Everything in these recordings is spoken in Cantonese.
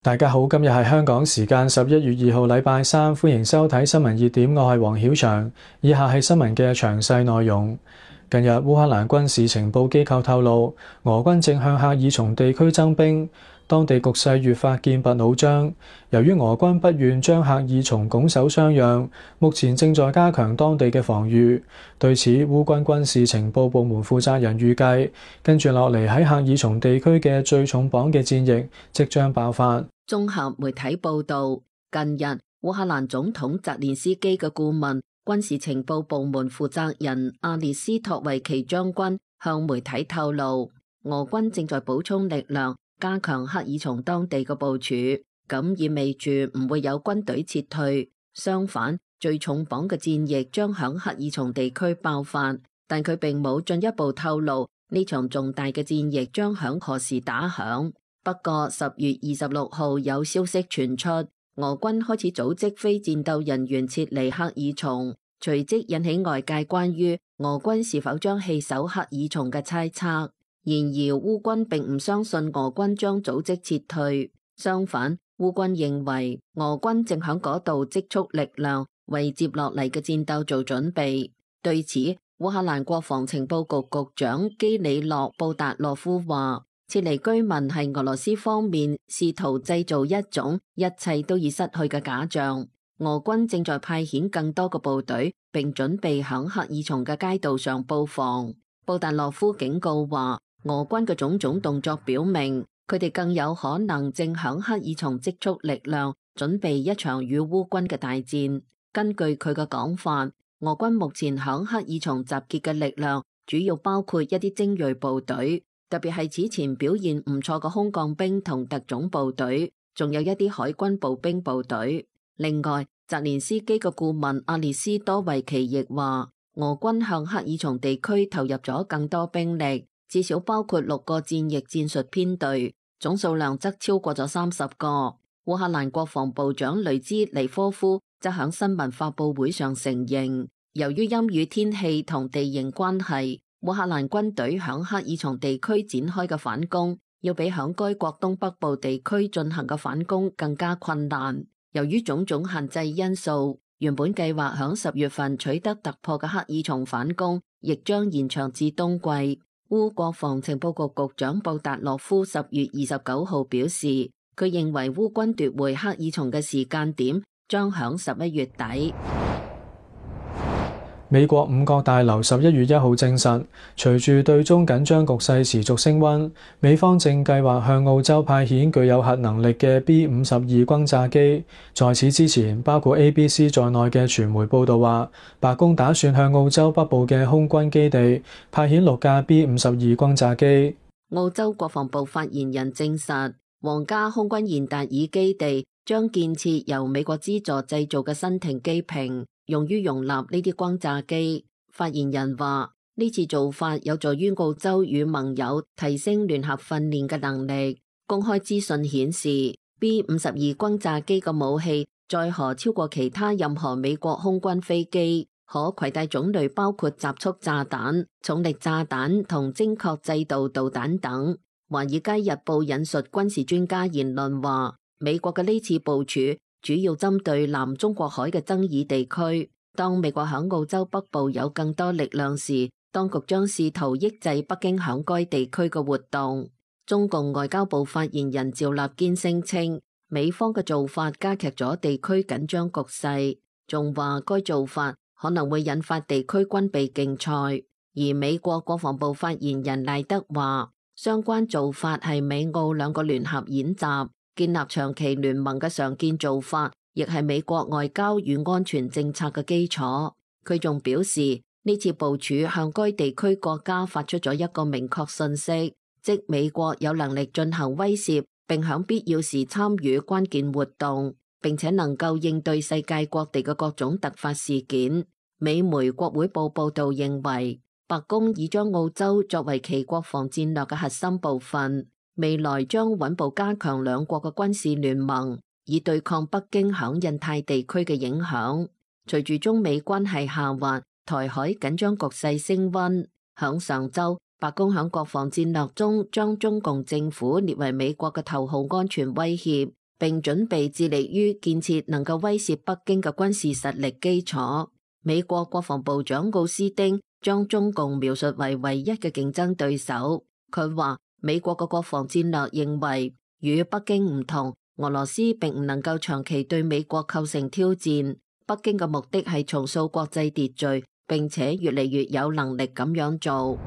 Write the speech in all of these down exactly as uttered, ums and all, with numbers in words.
大家好，今日係香港時間十一月二號禮拜三，歡迎收睇新聞熱點，我係黃曉翔。以下係新聞嘅詳細內容。近日烏克蘭軍事情報機構透露，俄軍正向赫爾松地區增兵，當地局勢越發劍拔弩張。由於俄軍不願將赫爾松拱手相讓，目前正在加強當地嘅防禦。對此，烏軍軍事情報部門負責人預計，跟住落嚟喺赫爾松地區嘅最重磅嘅戰役即將爆發。綜合媒體報道，近日烏克蘭總統澤連斯基嘅顧問、軍事情報部門負責人阿列斯托維奇將軍向媒體透露，俄軍正在補充力量，加強赫爾松當地嘅部署，咁意味住唔會有軍隊撤退，相反，最重磅嘅戰役將響赫爾松地區爆發，但佢並冇進一步透露呢場重大嘅戰役將響何時打響。不過十月二十六號有消息傳出，俄軍開始組織非戰鬥人員撤離赫爾松，隨即引起外界關於俄軍是否將棄守赫爾松嘅猜測。然而烏軍並唔相信俄軍將組織撤退，相反，烏軍認為俄軍正響嗰度積蓄力量，為接落嚟嘅戰鬥做準備。對此，烏克蘭國防情報局局長基里洛布達洛夫話，撤離居民係俄羅斯方面試圖製造一種一切都已失去嘅假象。俄軍正在派遣更多嘅部隊，並準備響赫爾松嘅街道上布防。布達洛夫警告話，俄軍嘅種種動作表明，佢哋更有可能正響赫爾松積蓄力量，準備一場與烏軍嘅大戰。根據佢嘅講法，俄軍目前響赫爾松集結嘅力量，主要包括一啲精銳部隊，特別係此前表現唔錯嘅空降兵同特種部隊，仲有一啲海軍步兵部隊。另外，澤連斯基嘅顧問阿列斯多維奇亦話，俄軍向赫爾松地區投入咗更多兵力，至少包括六個戰役戰術編隊，總數量則超過咗三十個。烏克蘭國防部長雷茲尼科夫則響新聞發佈會上承認，由於陰雨天氣同地形關係，烏克蘭軍隊響赫爾松地區展開嘅反攻，要比響該國東北部地區進行嘅反攻更加困難。由於種種限制因素，原本計劃響十月份取得突破嘅赫爾松反攻，亦將延長至冬季。烏國防情報局局長布達洛夫十月二十九號表示，佢認為烏軍奪回赫爾松嘅時間點將響十一月底。美國五角大樓十一月一號證實，隨住對中緊張局勢持續升溫，美方正計劃向澳洲派遣具有核能力嘅 B 五十二轟炸機。在此之前，包括 A B C 在內嘅傳媒報道話，白宮打算向澳洲北部嘅空軍基地派遣六架 B 五十二轟炸機。澳洲國防部發言人證實，皇家空軍現達爾基地將建設由美國資助製造嘅新型機坪，用於容納呢啲轟炸機。發言人話，呢次做法有助於澳洲與盟友提升聯合訓練嘅能力。公開資訊顯示 B 五十二轟炸機嘅武器載荷超過其他任何美國空軍飛機，可攜帶種類包括集束炸彈、重力炸彈同精確制導導彈等。華爾街日報引述軍事專家言論話，美國嘅呢次部署主要針對南中國海嘅爭議地區。當美國響澳洲北部有更多力量時，當局將試圖抑制北京響該地區嘅活動。中共外交部發言人趙立堅聲稱，美方嘅做法加劇咗地區緊張局勢，仲話該做法可能會引發地區軍備競賽。而美國國防部發言人賴德話，相關做法係美澳兩個聯合演習，建立長期聯盟嘅常見做法，亦係美國外交與安全政策嘅基礎。佢仲表示，呢次部署向該地區國家發出咗一個明確信息，即美國有能力進行威懾，並響必要時參與關鍵活動，並且能夠應對世界各地嘅各種突發事件。美媒國會報報道認為，白宮已將澳洲作為其國防戰略嘅核心部分，未來將穩步加強兩國嘅軍事聯盟，以對抗北京響印太地區嘅影響。隨住中美關係下滑，台海緊張局勢升溫。響上週，白宮響國防戰略中將中共政府列為美國嘅頭號安全威脅，並準備致力於建設能夠威懾北京嘅軍事實力基礎。美國國防部長奧斯汀將中共描述為唯一嘅競爭對手。佢話美國嘅國防戰略認為與北京唔同，俄羅斯並唔能夠長期對美國構成挑戰。北京嘅目的係重塑國際秩序，並且越嚟越有能力咁樣做。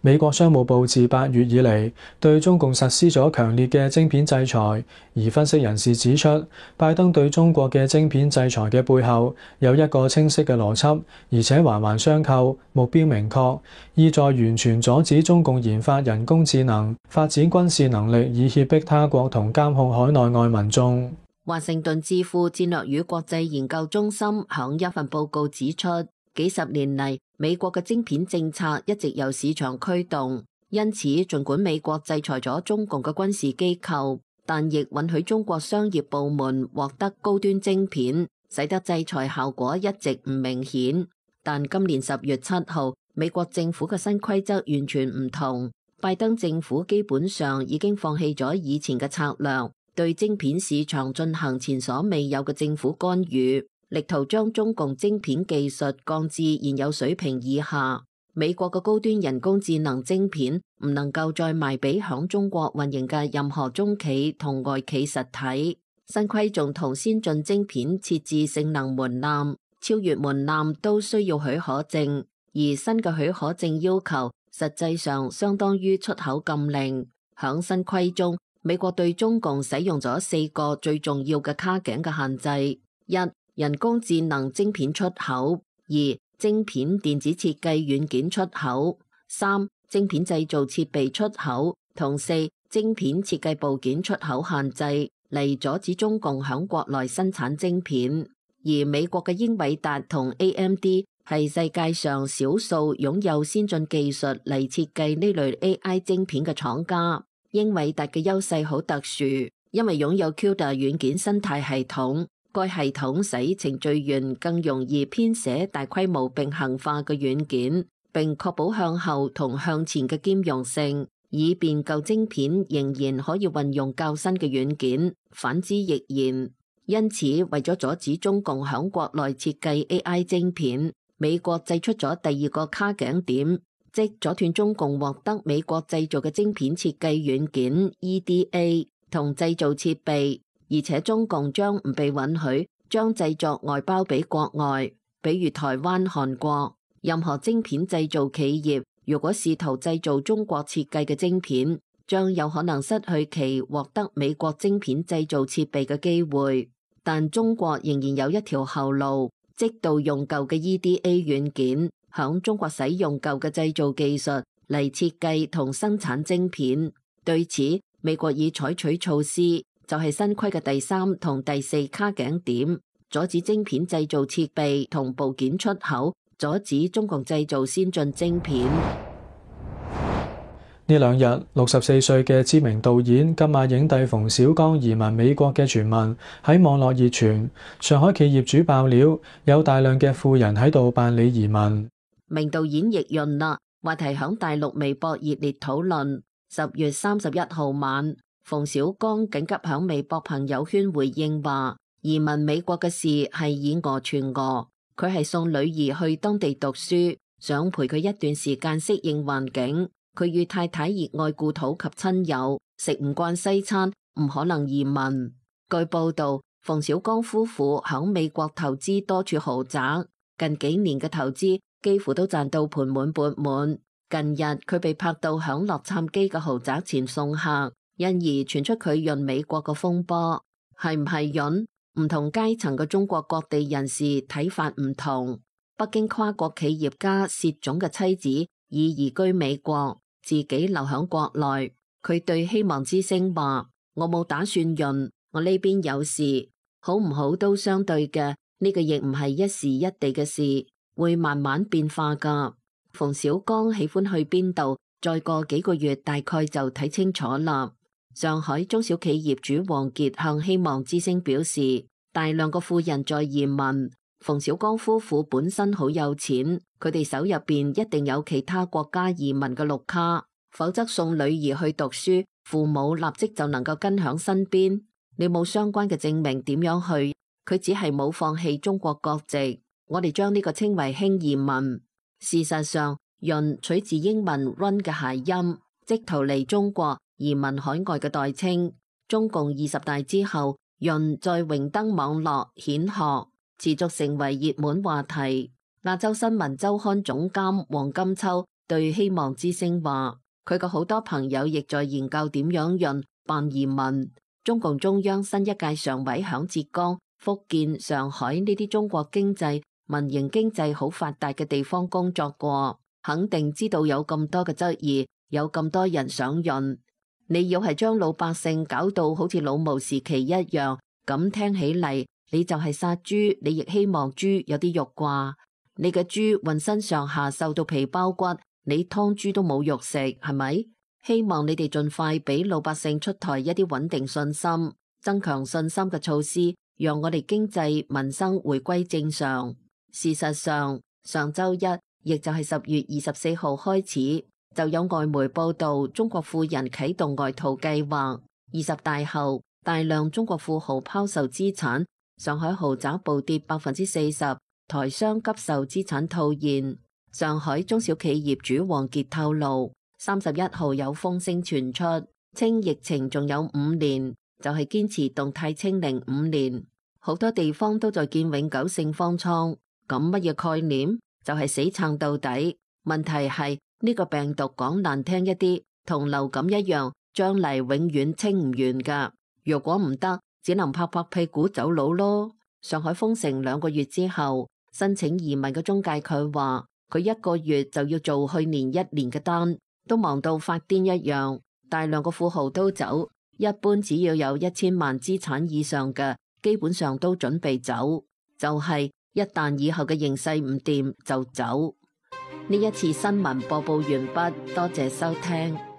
美國商務部自八月以嚟對中共實施咗強烈嘅晶片制裁，而分析人士指出，拜登對中國嘅晶片制裁嘅背後有一個清晰嘅邏輯，而且環環相扣，目標明確，意在完全阻止中共研發人工智能、發展軍事能力，以脅迫他國同監控海內外民眾。華盛頓智庫戰略與國際研究中心響一份報告指出，幾十年嚟，美國嘅晶片政策一直由市場驅動，因此儘管美國制裁咗中共嘅軍事機構，但亦允許中國商業部門獲得高端晶片，使得制裁效果一直唔明顯。但今年十月七號，美國政府嘅新規則完全唔同，拜登政府基本上已經放棄咗以前嘅策略，對晶片市場進行前所未有嘅政府干預，力圖將中共晶片技術降至現有水平以下。美國嘅高端人工智能晶片唔能夠再賣俾響中國運營嘅任何中企同外企實體。新規仲同先進晶片設置性能門檻，超越門檻都需要許可證，而新嘅許可證要求實際上相當於出口禁令。響新規中，美國對中共使用咗四個最重要嘅卡頸嘅限制：一、人工智能晶片出口；二、晶片電子設計軟件出口；三、晶片製造設備出口；同四、晶片設計部件出口限制，嚟阻止中共響國內生產晶片。而美國嘅英偉達同 A M D 係世界上少數擁有先進技術嚟設計呢類 A I 晶片嘅廠家。英偉達嘅優勢好特殊，因為擁有 C U D A 軟件生態系統，該系統使程序員更容易編寫大規模並行化嘅軟件，並確保向後同向前嘅兼容性，以便舊晶片仍然可以運用較新嘅軟件，反之亦然。因此，為咗阻止中共響國內設計 A I 晶片，美國製出咗第二個卡頸點，即阻斷中共獲得美國製造嘅晶片設計軟件 E D A 同製造設備，而且中共將唔被允許將製作外包俾國外，比如台灣、韓國。任何晶片製造企業如果試圖製造中國設計嘅晶片，將有可能失去其獲得美國晶片製造設備嘅機會。但中國仍然有一條後路，即盜用舊嘅 E D A 軟件，響中國使用舊嘅製造技術嚟設計同生產晶片。對此，美國已採取措施，就係新規嘅第三同第四卡頸點，阻止晶片製造設備同部件出口，阻止中共製造先進晶片。呢兩日，六十四歲嘅知名導演金馬影帝馮小剛移民美國嘅傳聞喺網絡熱傳。上海企業主爆料，有大量嘅富人喺度辦理移民。名導演易潤啦，話題響大陸微博熱烈討論。十月三十一號晚，馮小剛緊急響微博朋友圈回應話，移民美國嘅事係以訛傳訛，佢係送女兒去當地讀書，想陪佢一段時間適應環境。佢與太太熱愛故土及親友，食唔慣西餐，唔可能移民。據報道，馮小剛夫婦響美國投資多處豪宅，近幾年嘅投資幾乎都賺到盆滿缽滿。近日佢被拍到響洛杉磯嘅豪宅前送客，因而傳出佢潤美國嘅風波。係唔係潤？唔同階層嘅中國各地人士睇法唔同。北京跨國企業家薛總嘅妻子已移居美國，自己留響國內。佢對希望之聲話：我冇打算潤，我呢邊有事，好唔好都相對嘅，呢個亦唔係一時一地嘅事，會慢慢變化噶。馮小剛喜歡去邊度，再過幾個月大概就睇清楚啦。上海中小企業主王傑向希望之聲表示，大量嘅富人在移民。馮小剛夫婦本身好有錢，佢哋手入邊一定有其他國家移民嘅綠卡，否則送女兒去讀書父母立即就能夠跟響身邊。你冇相關嘅證明點樣去？佢只係冇放棄中國國籍，我哋將呢個稱為輕移民。事實上，潤取自英文 run 嘅諧音，即逃離中國移民海外嘅代稱。中共二十大之後，潤在榮登網絡顯學，持續成為熱門話題。亞洲新聞週刊總監黃金秋對希望之聲話，佢嘅好多朋友亦在研究點樣潤辦移民。中共中央新一屆常委響浙江、福建、上海呢啲中國經濟、民營經濟好發達嘅地方工作過，肯定知道有咁多嘅質疑，有咁多人想潤。你要係將老百姓搞到好似老毛時期一樣，咁聽起嚟你就係殺豬，你亦希望豬有啲肉啩？你嘅豬渾身上下瘦到皮包骨，你劏豬都冇肉食，係咪？希望你哋盡快俾老百姓出台一啲穩定信心、增強信心嘅措施，讓我哋經濟民生回歸正常。事實上，上周一，亦就係十月二十四號開始，就有外媒報道中國富人啟動外逃計劃。二十大後，大量中國富豪拋售資產，上海豪宅暴跌百分之四十，台商急售資產套現。上海中小企業主王傑透露，三十一號有風聲傳出，稱疫情仲有五年，就係堅持動態清零五年。好多地方都在建永久性方艙，咁乜嘢概念？就係死撐到底。問題係呢個病毒講難聽一啲，同流感一樣，將嚟永遠清唔完噶。如果唔得，只能拍拍屁股走佬咯。上海封城兩個月之後，申請移民嘅中介佢話，佢一個月就要做去年一年嘅單，都忙到發癲一樣。大量嘅富豪都走，一般只要有一千萬資產以上嘅，基本上都準備走。就係、是、一旦以後嘅形勢唔掂就走。呢一次新聞播報完畢，多謝收聽。